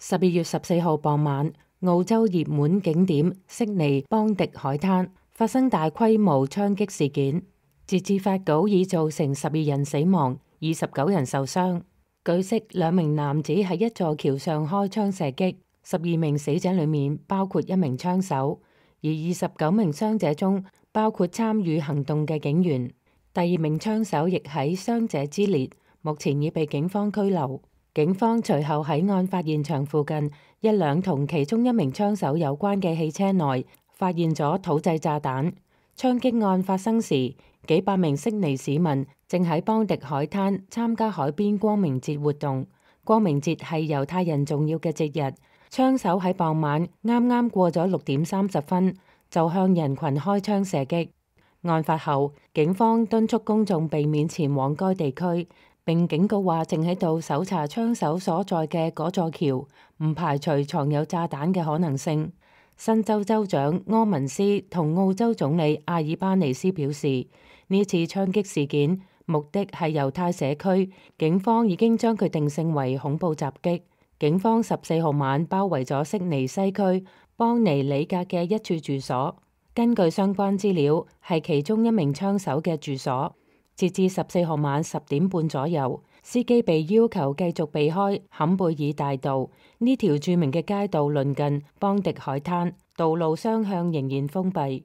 12月14號傍晚，澳洲熱門景點悉尼邦迪海灘發生大規模槍擊事件，截至發稿已造成12人死亡、29人受傷。據悉，2名男子喺一座橋上開槍射擊，12名死者裡面包括1名槍手，而29名傷者中包括參與行動嘅警員。第2名槍手亦喺傷者之列，目前已被警方拘留。警方隨後喺案發現場附近一輛同其中1名槍手有關嘅汽車內發現咗土製炸彈。槍擊案發生時，幾百名悉尼市民正喺邦迪海灘參加海邊光明節活動。光明節係猶太人重要嘅節日。槍手喺傍晚啱啱過咗6點30分，就向人群開槍射擊。案發後，警方敦促公眾避免前往該地區，並警告話正喺度搜查槍手所在嘅嗰座橋，唔排除藏有炸彈嘅可能性。新州州長柯文斯同澳洲總理阿爾巴尼斯表示，呢次槍擊事件目的係猶太社區，警方已經將佢定性為恐怖襲擊。警方14號晚包圍咗悉尼西區邦尼里格嘅一處住所，根據相關資料，係其中1名槍手嘅住所。截至14號晚10點半左右，司機被要求繼續避開坎貝爾大道，呢條著名嘅街道鄰近邦迪海灘，道路雙向仍然封閉。